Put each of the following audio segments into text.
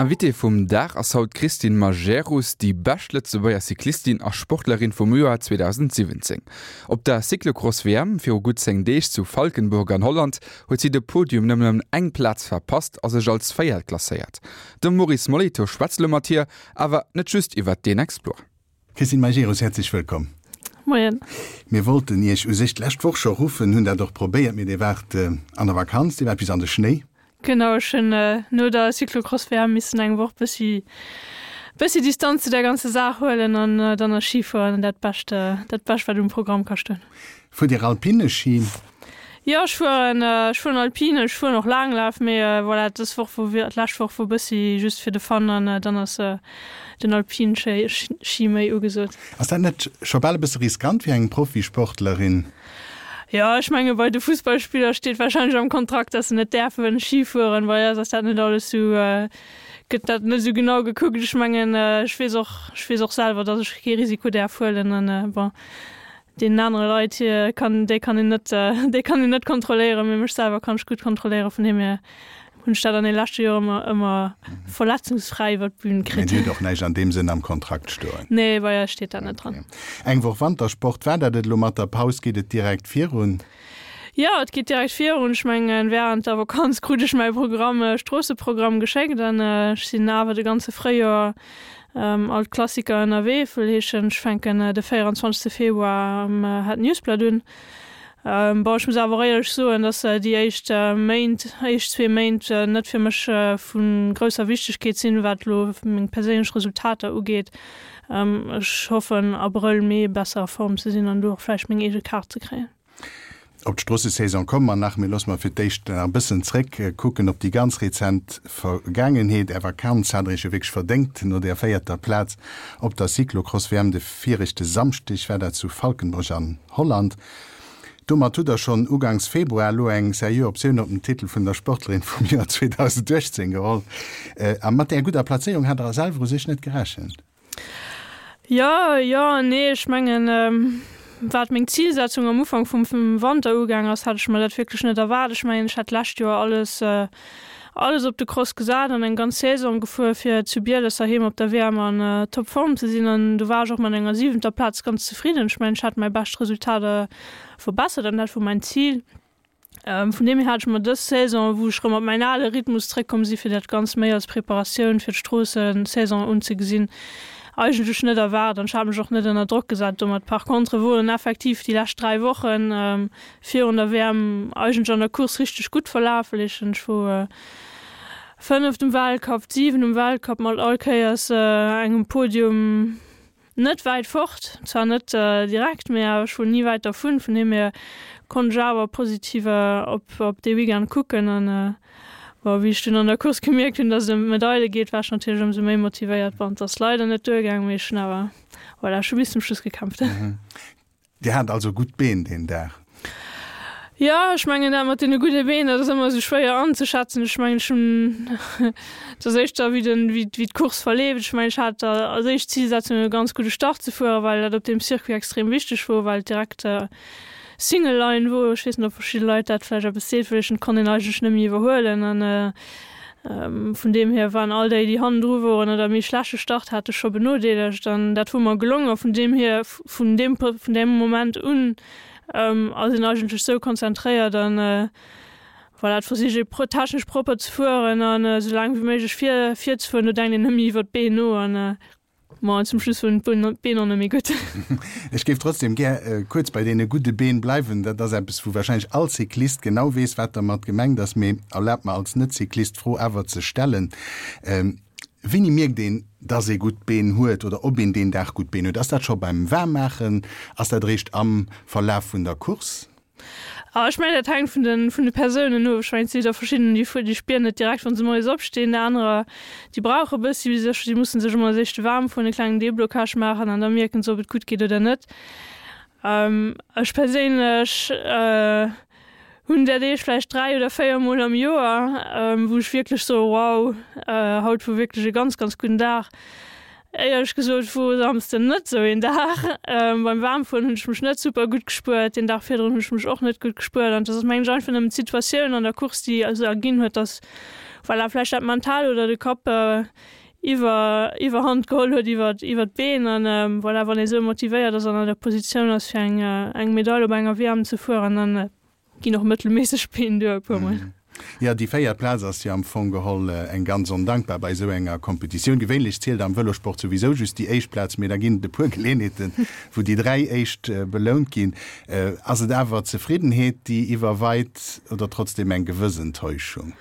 Invitée vum Dag ass haut d'Christine Majerus, déi bescht Lëtzebuerger Cyclistin a Sportlerin vum Joer 2017. Op der Cyclocross-WM viru gutt 10 Deeg zu Valkenburg an Holland huet si de Podium nëmmen ëm eng Plaz verpasst a sech als Véiert klasséiert. De Maurice Molitor schwätzt elo mat hir, awer net just iwwert deen Exploit. Christine Majerus, häerzlech wëllkomm. Moien. Mir wollten Iech u sech d'lescht Woch scho ruffen, hunn dat och probéiert, mee Dir waart an der Vakanz, Dir waart bis an de Schnéi. Genau, ech hunn no der Cyclocross-WM missen eng Woch bëssi bëssi Distanz zu der ganzer Saach huelen an dann ass Schifueren dat Bescht, dat Bescht wat um Programm ka stoen. Fuert Dir Alpine Ski? Jo, ech fueren, ech fueren Alpine, ech fueren och Laanglaf, mee voilà, dës Woch wor, d'lescht Woch wor bëssi just fir de Fun an dann ass den Alpine Ski méi ugesot. Ass dat net scho bal e bësse riskant fir eng Profisportlerin? Jo, ech menge bei de Fussballspiller steet wahrscheinlech am Kontrakt, dass se net däerfen Ski fueren. Bei eis ass dat net alles sou, gëtt dat net esou genau gekuckt. Ech mengen, ech weess och, ech weess och selwer, dass ech kee Risiko däerf huelen an bon, deenen anere Leit hir kann, déi kann een net, déi kann een net kontrolléieren, mee mech selwer kann ech gutt kontrolléieren. Vun deem hier hunn ech dat an de leschte Joer ëmmer, ëmmer verletzungsfräi iwwer d'Bün Mee kritt. Dir hutt och näischt an deem Sënn am Kontrakt stoen? Nee, bei eis steet dat net dran. Eng Woch Wantersport, war dat et elo mat der Paus? Geet et direkt virun? Jo, et geet direkt virun. Ech mengen, wärend der Vakanz krut ech mäi Programm, Stroosseprogramm geschéckt an ech sinn awer de ganze Fréijoer all d'Klassiker ënnerwee. Wëll heeschen, ech fänken de 24 Februar am Het Nieuwsblad un. Bon, ech muss awer och éierlech soen, dass déi éischt Méint, éischt zwee Méint net fir mech vu grousser Wichtegkeet sinn, wat elo meng perséinlech Resultater ugeet. Ech hoffen Abrëll, Mee besser a Form ze sinn an do och vläicht meng eege Kaart ze kréien. Op d'Stroossesaison komme mer nach, mee loosse mer fir d'éischt nach e bëssen zréck kucken op déi ganz rezent Vergaangenheet. Är Vakanz hat Der Iech jo wierklech verdéngt no där véierter Plaz op der Cyclocross-WM de viregte Samschdeg war dat zu Valkenburg an Holland. Domat hutt Der schonn ugangs Februar elo eng seriö Optioun op den Titel vun der Sportlerin vum Joer 2018 geholl. A mat där gudder Plazéierung hat Der selwer u sech net gerechent? Jo, jo an nee. Ech mengen, wat meng Zilsetzung am Ufank vum Wanter ugaang ass, hat ech mer dat wierklech net erwaart. Ech mengen, ech hat d'lescht Joer alles, alles op de Cross gesat an eng ganz Saison gefuer, fir zu Bieles heiheem op der WM an Topform ze sinn. An do war ech och mat enger siwenter Plaz ganz zefridden. Ech mengen, ech hat mäi bescht Resultat verbessert an dat wor mäin Zil. Vun deem hier hat ech mer dës Saison, wou ech rëm op mäin ale Rhythmus zréckkomm si fir dat Ganzt méi als Preparatioun fir d'Stroossesaison unzegesinn, eigentlech net erwaart an ech hat mech och net ënner Drock gesat domat. Par contre woren effektiv déi lescht 3 Wochen virun der WM eigentlech an der Course richteg gutt verlaf, well ech ech wor fënneft um Weltcup, 7 um Weltcup mat all Kéiers engem Podium. Net wäit fort, zwar net direkt, mee awer ech wor ni wäit dervun, vun deem hier konnt ech awer positiv op dee Weekend kucken an bon, wéi ech dunn an der Course gemierkt hunn, dass et ëm d'Medaile geet, war ech natierlech ëmsou méi motivéiert. Bon, et ass leider net duergaang, mee ech hunn awer, voilà, ech hu bis zum Schluss gekämpft. Dir hat also gutt Been deen Dag? Jo, ech mengen dat mat deene gudde Been, dat ass ëmmer esou schwéier anzeschätzen. Ech mengen, ech hunn, et ass éischter wéi den, wéi wéi d'Course verleeft. Ech mengen, ech hat als éischt Zilsetzung e ganz gudde Start ze fueren, well dat op deem Circuit extrem wichteg wor, well et direkt Single Line wor. Ech weess net, ob verschidde Leit dat vläicht eppes seet, well ech konnt een eigentlech net méi iwwerhuelen an Vun deem hier waren all déi, déi hannendru woren oder e méi schlechte Start hate scho benodeelegt an dat wor mer gelongen. A vun deem hier, vun deem, vun deem Moment un ass een eigentlech sou konzentréiert an voilà, et versicht ee technesch propper ze fueren an esou laang wéi méiglech vir, virzefueren. Do denkt een net méi iwwer d'Been no an Ma zum Schluss wurden d'Been och net méi gutt. Ech géif trotzdem gär kuerz bei deene gudde Been bleiwen. Dat ass eppes, wou warscheinlech all Cyclist genau weess, wat dermat gemengt ass. Mee erlaabt mer als Net-Cyclist d'Fro awer ze stellen, Wéini mierkt een, dass ee gutt Been huet oder ob een deen Dag gutt Been huet? Ass dat scho beim Waarmmaachen? Ass dat eréischt am Verlaf vun der Course? Ah, ech mengen, dat hänkt vun de, vun de Persounen of. Ech mengen, et si der verschidden, déi, déi spieren et direkt, wa se moies opstinn. Anerer, déi brauche e bëssi, bis sech, déi musse sech ëmmer als éischte waarm fueren, e klengen Deblocage maachen an da mierken se, ob et gutt geet oder net. Ech perséinlech hunn där Deeg vläicht 3 oder 4 Mol am Joer, wou ech wierklech soe, wow, haut wor wierklech e ganz, ganz gudden Dag. Éierlech gesot wor Samsden net sou een Dag. Beim Waarmfueren hunn ech mech net super gutt gespuert, deen Dag virdrun hunn ech mech och net gutt gespuert an dat ass mengen ech einfach nëmmen d'Situatioun an der Course déi esou erginn huet, dass voilà vläicht dat Mental oder de Kapp iwwer Iwwerhand geholl huet iwwer iwwer d'Been an voilà wann ee sou motivéiert ass an an der Positioun ass fir eng eng Medail op enger WM ze fueren, dann Ginn och mëttelméisseg Been duer e puer mol. Jo, déi véiert Plaz ass jo am Fong geholl eng ganz ondankbar bei esou enger Kompetitioun. Gewéinlech zielt am Vëlosport souwisou just déi éischt Plaz, mee da ginn et e puer Geleeënheeten, wou déi 3 éischt belount ginn. Ass et awer Zefriddenheet, déi iwwerweit oder trotzdem eng gewëss Enttäuschung?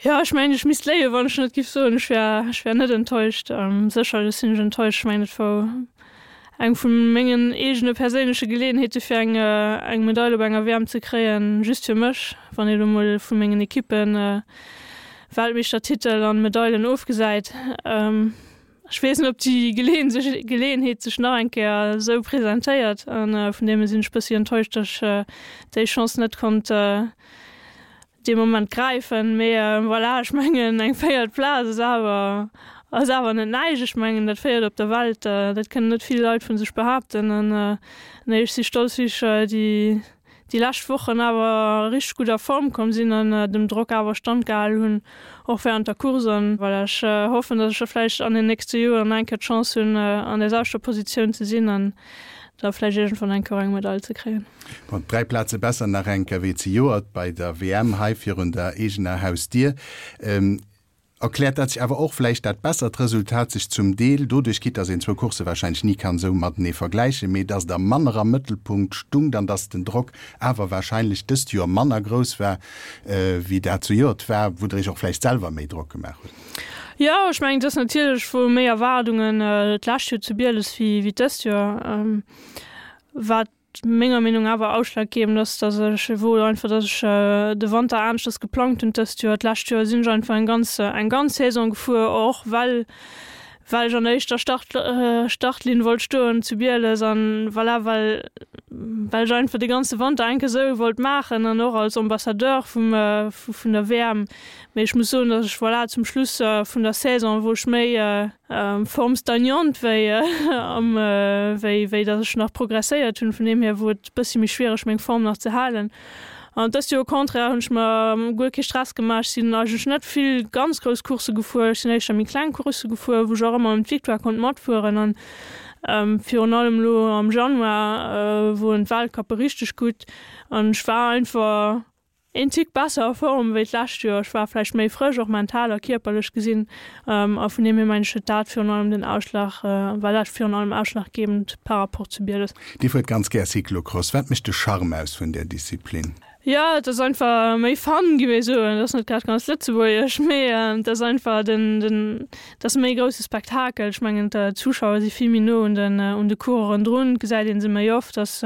Jo, ech mengen, ech misst léien, wann ech net giff soen, ech wär, ech wär net enttäuscht. Sécherlech sinn ech enttäuscht. Ech mengen, et wor Eng vu mengen eegene perséinleche Geleeënheete fir eng eng Medail op enger WM ze kréien, just fir mech, wann ee lo mol vu mengen Ekippen, Weltmeeschtertitel an Medailen ofgesäit. Ech weess net, ob déi Geleeënheet sech nach eng Kéier esou presentéiert an vun deem hier sinn ech bëssi enttäuscht, datt ech déi Chance net konnt dee Moment gräifen. Mee voilà, ech mengen eng véiert Plaz ass awer ass awer net näischt. Ech mengen dat véiert op der Welt, dat kënnen net vill Leit vu sech behaapten. An nee, ech si stolz wéi ech déi déi lescht Wochen awer richteg gutt a Form komm sinn an dem Drock awer Stand gehal hunn, och während der Course. An voilà, ech hoffen, datt ech da vläicht an den nächste Joren eng Kéier d'Chance hunn an där selwechter Positioun ze sinn an da vläicht iergendwann eng Kéier och eng Medail ze kréien. Bon, 3 Plaze besser nach eng Kéier wéi zejoert bei der WM hei virun der eegener Hausdier. Erkläert dat sech awer och vläicht dat bessert Resultat sech zum Deel doduerch, quitte dass een zwou Coursse warscheinlech ni kann esou matenee vergläichen, mee dass Der manner am Mëttelpunkt stungt an dass den Drock awer warscheinlech dëst Joer manner grouss war, wéi dat zejoert war, wou Der Iech och vläicht selwer méi Drock gemaach hutt? Jo, ech mengen, et ass natierlech wou méi Erwaardungen d'lescht Joer zu Bieles wéi dëst Joer. Wat menger Meenung awer ausschlaggebend ass, dass ech wor einfach, dass ech de Wanter aneschters geplangt hunn dëst Joer. D'lescht Joer sinn ech einfach eng ganz eng ganz Saison gefuer, och well well ech an der éischter Start Startlinn wollt stoen zu Bieles an voilà, well well ech einfach de ganze Wanter enke esou wollt maachen an och als Ambassadeur vum vun der WM. Mee ech muss soen, dass ech voilà zum Schluss vun der Saison, wou ech méi Form stagnante wéi am wéi wéi datt ech nach progresséiert hunn. Vun deem hier wor et bëssi méi schwiereg meng Form nach ze halen. An dëst Joer au contraire hunn ech mer guer kee Stress gemaach. Ech sinn eigentlech net vill ganz grouss Coursse gefuer, ech sinn éischter méi kleng Coursse gefuer, wou ech och ëmmer ëm d'Victoire konnt matfueren. An virun allem elo am Januar woren d'Weltcuppe richteg gutt an ech war einfach Een Tick besser a Form wéi d'lescht Joer. Ech war vläicht méi frësch, och mental a kierperlech gesinn. A vun deem hier mengen ech, huet dat virun allem den Ausschlag, war dat virun allem ausschlaggebend par rapport zu Bieles. Dir fuert ganz gär Cyclocross. Wat mécht de Charme aus vun där Disziplin? Jo, et ass einfach méi Fun, géif ech soen. Et ass net grad ganz lëtzebuergesch, mee et ass einfach den, den, et ass méi grousse Spektakel. Ech mengen, d'Zuschauer si vill méi no un den, un de Coureuren drun, et gesäit ee se méi oft. Ass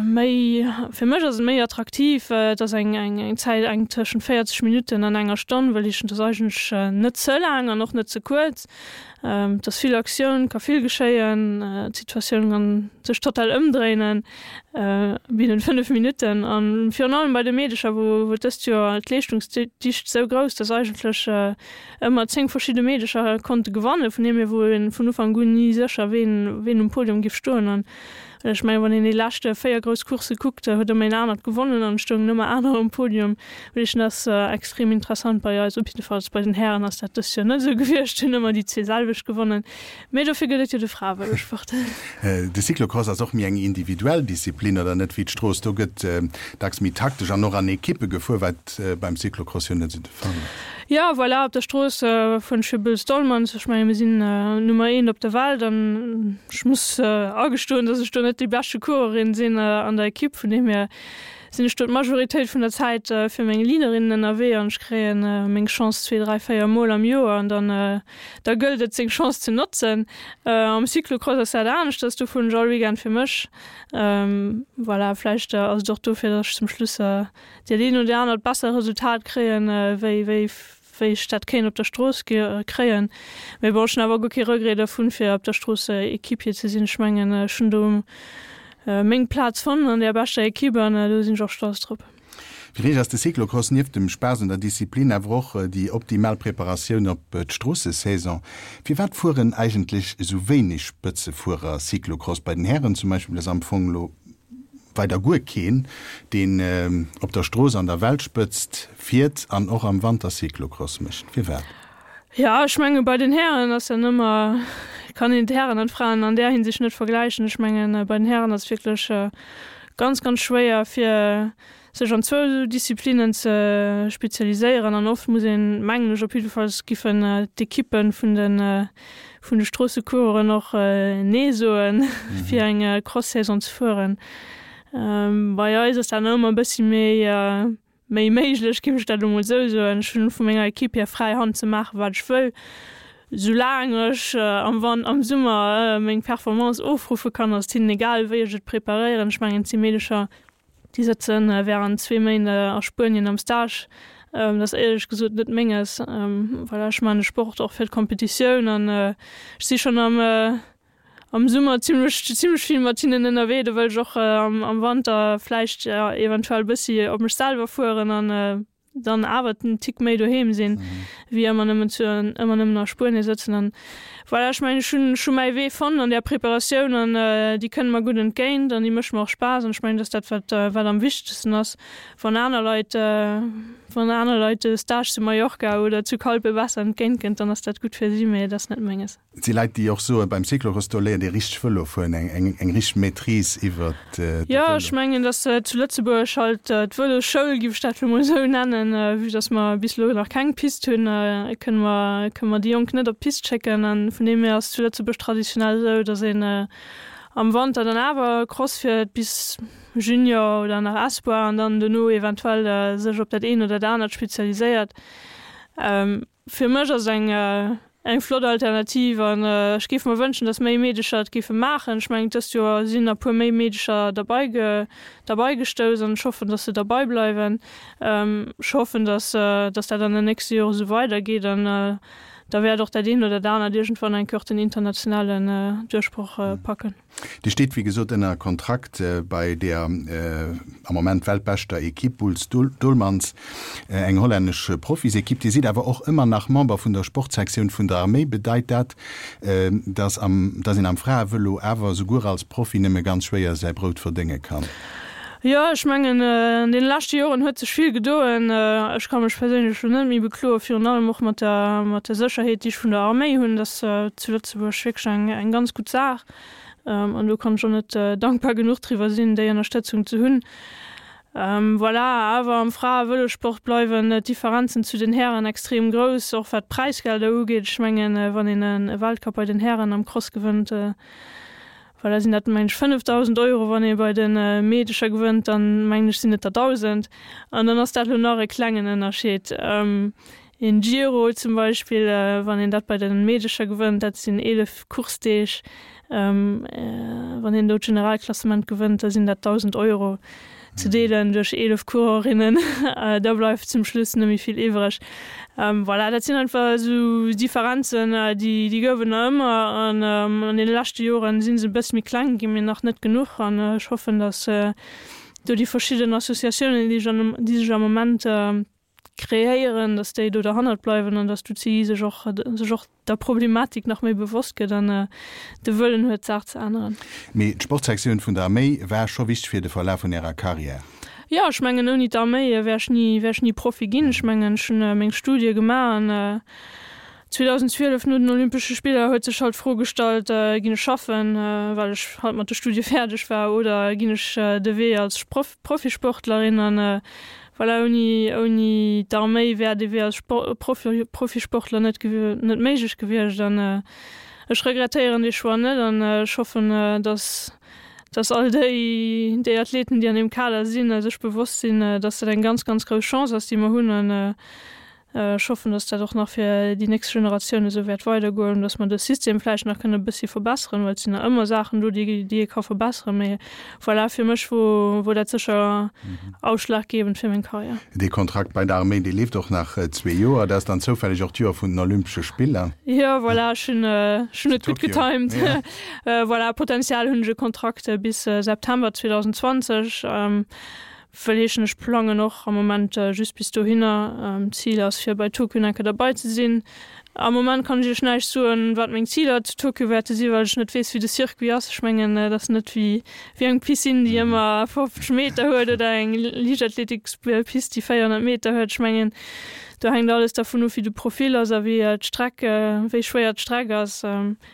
Méi, fir mech ass et méi attraktiv. Et ass eng eng Zäit eng tëschent 40 Minutten an enger Stonn, wëll ech, et ass eigentlech net ze laang an och net ze kuerz. Et ass vill Aktioun, ka vill geschéien, d'Situatioun kann sech total ëmdréinen binnen 5 Minutten. An virun allem bei de Meedecher, wou wou dëst Joer d'Leeschtungsdicht esou grouss, dass eigentlech ëmmer 10 verschidde Meedecher konnte gewannen. Vun deem hier wor een vun Ufank un ni sécher, ween ween um Podium giff stoen. An Ech mengen, wann een déi leschte 4 grouss Coursse kuckt, huet ëmmer een anert gewonnen an et stoungen ëmmer aner um Podium. Mee dat ass extrem interessant bei eis. Op jiddefalls bei den Hären ass dat dëst Joer net esou gewiescht, hunn ëmmer déi zwee selwecht gewonnen. Mee dofir gëtt et jo de Fraevëlosport. De Cyclocross ass och méi eng individuell Disziplin, oder net, wéi d'Strooss. Do gëtt dacks méi taktesch an och an Ekippe gefuer, wat beim Cyclocross jo net esou de Fall ass. Jo, voilà, op der Strooss fueren ech fir Boels Dolmans. Ech mengen, mir sinn Nummer eent op der Welt an ech muss agestoen, dass ech do net déi beschte Coureurin sinn an der Ekipp. Vun deem hier sinn ech do d'Majoritéit vun der Zäit fir meng Leaderinnen ënnerwee an ech kréien meng Chance zwee, dräi, véier Mol am Joer an dann da gëllt et seng Chance ze notzen. Am Cyclocross ass dat aneschters, do fueren ech all Weekend fir mech. Voilà, vläicht ass et och dofir, dass ech zum Schluss dat een oder anert besser Resultat kréien, wéi wéi wéi ech dat kéint op der Strooss kréien. Mee bon, ech hunn awer guer kee Regret dervun, fir op der Strooss Equipier ze sinn. Ech mengen, ech hunn do meng Plaz fonnt an där beschter Equipe an do sinn ech och stolz drop. Fir Iech ass de Cyclocross nieft dem Spaass un der Disziplin awer och déi optimal Preparatioun op d'Stroossesaison. Firwat fueren eigentlech esou wéineg Spëtzefuerer Cyclocross? Bei den Hären zum Beispill ass am Fong elo weider guer keen, deen op der Strooss an der Weltspëtzt fiert an och am Wanter Cyclocross mécht. Firwat? Jo, ech menge bei den Hären ass dann ëmmer, kann een d'Hären an d'Fraen an där Hinsicht net vergläichen. Ech mengen bei den Hären ass et wierklech ganz, ganz schwéier fir sech an zwou Disziplinnen ze spezialiséieren an oft muss een, mengen ech op jiddefalls, giffen d'Ekippen vun de vun de Stroossecoureuren och Nee soen, fir eng Cross-Saison ze fueren. Bei eis ass dat nach ëmmer e bëssi méi méi méiglech, géif ech dat elo mol esou soen. Ech hunn vu menger Ekipp hier fräi Hand ze maachen, wat ech wëll, soulaang ech am Wan am Summer meng Performance ofruffe kann, ass et hinnen egal, wéi ech et preparéieren. Ech mengen, et si Meedecher, Déi sëtze wärend zwee Méint a Spuenien am Stage. Dat ass éierlech gesot net Menges. Voilà, ech maachen de Sport och fir d'Kompetitioun an ech si schonn am am Summer zimmlech zimmlech vill mat hinnen ënnerwee. Do wëll ech och am Wanter vläicht eventuell e bëssi op mech selwer fueren an dann awer en Tick méi doheem sinn, wéi ëmmer nëmmen zu, ëmmer nëmmen a Spuenie sëtzen. An voilà, ech mengen, ech hunn, ech hu mäi Wee fonnt an där Preparatioun an déi kënnt mer gutt entgéint an déi mécht mer och Spaass an ech mengen, dat ass dat, wat, wat am wichtegsten ass. Wann aner Leit, wann aner Leit de Stage zu Mallorca oder zu Calpe besser entgéint kënnt, dann ass dat gutt fir si, mee et ass net menges. Et si Leit, déi och soen, beim Cyclocross, do léiert ee richteg Vëlo fueren, eng richteg Maîtrise iwwer de Vëlo. Jo, ech mengen, datt zu Lëtzebuerg halt d'Vëlosschoul, giff ech dat elo mol esou nennen, vue datt mer bis elo nach keng Pist hunn, kënne mer, kënne mer déi Jonk net op d'Pist schécken. A vun deem hier ass zu Lëtzebuerg traditionell esou, datt een am Wanter dann awer Cross fiert bis Junior oder nach Espoir an dann dono eventuell sech op dat eent oder dat anert spezialiséiert. Fir mech ass et eng eng flott Alternativ an ech géif mer wënschen, dass méi Meedecher et géife maachen. Ech mengen, dëst Joer sinn e puer méi Meedecher derbei derbei gestouss an ech hoffen, dass se derbei bleiwen. Ech hoffen, dass dass dat an den nächste Jore sou weidergeet an da wäert och dat eent oder dat anert iergendwann eng Kéier och den internationalen Duerchbroch packen. Dir steet wéi gesot ënner Kontrakt bei der am Moment weltbeschter Ekipp Boels Dolmans, eng hollännesch Profisekipp. Dir sidd awer och ëmmer nach Member vun der Sportsektioun vun der Arméi. Bedeit dat, datt een am Fraevëlo awer souguer als Profi nëmme ganz schwéier säi Brout verdénge kann? Jo, ech mengen, an deene leschte Joren huet sech vill gedoen. Ech ka mech perséinlech elo net méi bekloen, virun allem och mat der, mat der Sécherheet, déi ech vun der Arméi hunn. Dat ass zu Lëtzebuerg wierklech eng, eng ganz gutt Saach. An do kann ech och net dankbar genuch driwwer sinn, déi Ënnerstëtzung ze hunn. Voilà, awer am Frae-Vëlossport bleiwen d'Differenzen zu den Hären extrem grouss, och wat d'Präisgelder ugeet. Ech mengen, wann een e Weltcup bei den Hären am Cross gewënnt, Voilà, sinn dat mengen ech 5.000 Euro, wann ee bei de Meedecher gewënnt, dann mengen ech sinn et der 1.000. An dann ass dat elo nach e klengen Ënnerscheed. Een Giro zum Beispill, wann een dat bei de Meedecher gewënnt, dat sinn 11 Coursedeeg, wann een do d'Generalklassement gewënnt, da sinn dat 1.000 Euro. Ze deelen duerch 11 Coureurinne, da bleift zum Schluss net méi vill iwwreg. Voilà, dat sinn einfach esou Differenzen, déi déi gouf et nach ëmmer an an deene leschte Joren si se e bësse méi kleng ginn, mee nach net genuch. An ech hoffen, datt do déi verschidden Associatiounen, déi sech an déi sech am Moment kreéieren, datt déi do derhannert bleiwen an datt d'UCI sech och sech och der Problematik nach méi bewosst gëtt an de Wëllen huet, d'Saach ze änneren. Mee d'Sportsektioun vun der Arméi war scho wichteg fir de Verlaf vun Ärer Karriär? Jo, ech mengen, ouni d'Arméi wär ech ni wär ech ni Profi ginn. Ech mengen, ech hunn meng Studie gemaach an 2012 no den Olympesche Spiller huet sech halt d'Fro gestallt, ginn ech schaffen, well ech halt mat de Studie fäerdeg war, oder ginn ech de Wee als Profisportlerin an Voilà, ouni, ouni d'Arméi wär dee Wee als Profi, Profisportler net, net méiglech gewiescht. An ech regrettéieren dee Choix net an ech hoffen, dass, dass all déi, déi Athleten, déi an deem Kader sinn, sech bewosst sinn, dass dat eng ganz, ganz grouss Chance ass, déi mer hunn. An Ech hoffen, dass dat och nach fir déi nächst Generatioun esou wäert weidergoen, dass mer de System vläicht nach kënne e bëssi verbesseren, well et sinn nach ëmmer Saachen do, déi, déi ee ka verbesseren. Mee voilà, fir mech wor, wor dat sécher ausschlaggebend fir meng Karriär. Dee Kontrakt bei der Arméi, dee leeft och nach zwee Joer. Dat ass dann zoufälleg och d'Joer vun den Olympesche Spiller. Jo, voilà, ech hunn, ech hunn et gutt getimed. Voilà, potenziell hunn ech e Kontrakt bis September 2020. Wëll heeschen, ech plangen och am Moment just bis dohinner. D'Zil ass fir bei Tokio nach eng Kéier derbei ze sinn. Am Moment kann ech iech näischt soen, wat meng Ziler zu Tokio wäerte sinn, well ech net weess, wéi de Circuit ass. Ech mengen, et ass net wéi wéi eng Piscine, déi ëmmer 50 Meter huet oder eng Liichtathletikspist, déi 400 Meter huet. Ech mengen, do hänkt alles dervun of, wéi de Profil ass a wéi d'Streck, wéi schwéier d'Streck ass.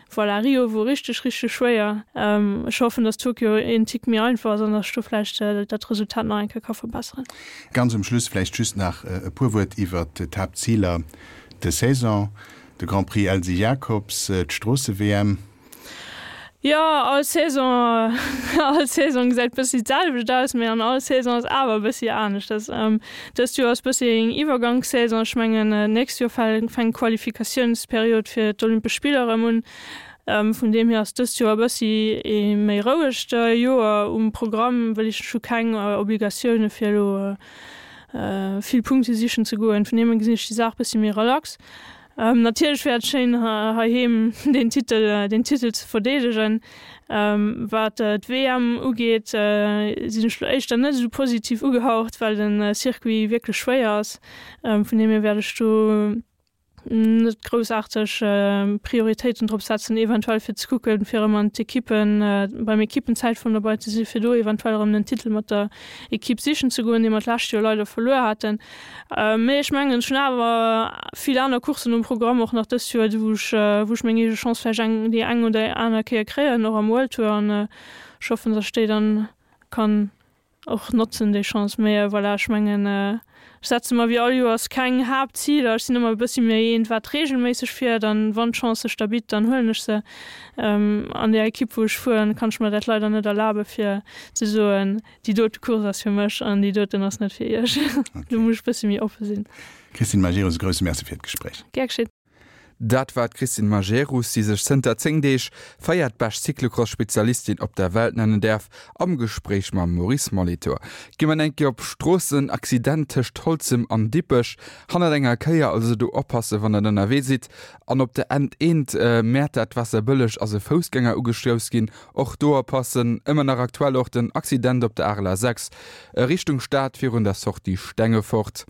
Voilà, Rio wor richteg, richteg schwéier. Ech hoffen, dass Tokio een Tick méi einfach ass an dass ech do vläicht dat Resultat nach eng Kéier ka verbesseren. Ganz um Schluss vläicht just nach e puer Wuert iwwert d'Haaptziler des Saison, de Grand Prix Elsy Jacobs, d'Stroosse-WM. Jo, all Saison, all Saison gesäit bëssi d'selwecht aus, mee an all Saison ass awer e bëssi aneschters. Dëst Joer ass bëssi eng Iwwergangssaison. Ech mengen, d'nächst Joer fänkt d'Qualifikatiounsperiod fir d'Olympesch Spiller erëm un. Vun deem hier ass dëst Joer e bëssi ee méi rouegt Joer um Programm, well ech hu keng Obligatioune fir elo vill Punkte sichen ze goen. Vun deem hier gesinn ech déi Saach bëssi méi relax. Natierlech wär et schéin heiheem deen Titel deen Titel ze verdeedegen. Wat d'WM ugeet, sinn ech lo éischter net esou positiv ugehaucht, well de Circuit wierklech schwéier ass. Vun deem hier wäert ech do net groussaarteg Prioritéiten drop setzen, eventuell fir ze kucken, fir erëm an d'Ekippen beim Ekippenzäitfueren dobei ze sinn, fir do eventuell erëm den Titel mat der Ekipp sichen ze goen, dee mer d'lescht Joer leider verluer haten. Mee ech mengen, ech hunn awer vill aner Courssen um Programm och nach dëst Joer, wou ech, wou ech meng eege Chance vläicht eng, déi eng oder aner Kéier kréien, och am World Tour. An ech hoffen, datt ech déi dann kann och notzen, déi Chance. Mee voilà, ech mengen, ech setze mer wéi all Joers keng Haaptziler. Ech sinn ëmmer e bëssi méi eent, wat reegelméisseg fiert. An wann d'Chance sech da bitt, dann huelen ech se. An där Ekipp, wou ech fueren, kann ech mer dat leider net erlabe fir ze soen, Déi dote Course ass fir mech an déi doten ass net fir iech. Do muss ech bëssi méi oppe sinn. Christine Majerus, e grousse Merci fir d'Gespréich. Gär geschitt. Dat war d'Christine Majerus, déi sech zënter 10 Deeg véiertbescht Cyclocross-Spezialistin op der Welt nennen däerf, am Gespréich mam Maurice Molitor. Gi mer eng Kéier op Stroossen, Accident tëscht Holzem an Dippech, hannert enger Kéier, also do oppassen, wann der ënnerwee sidd. An op der N1 Mäertert-Waasserbëlleg ass e Foussgänger ugestouss ginn, Och do oppassen, ëmmer nach aktuell och den Accident op der Areler 6 Richtung Stad virun der Sortie Stengefort.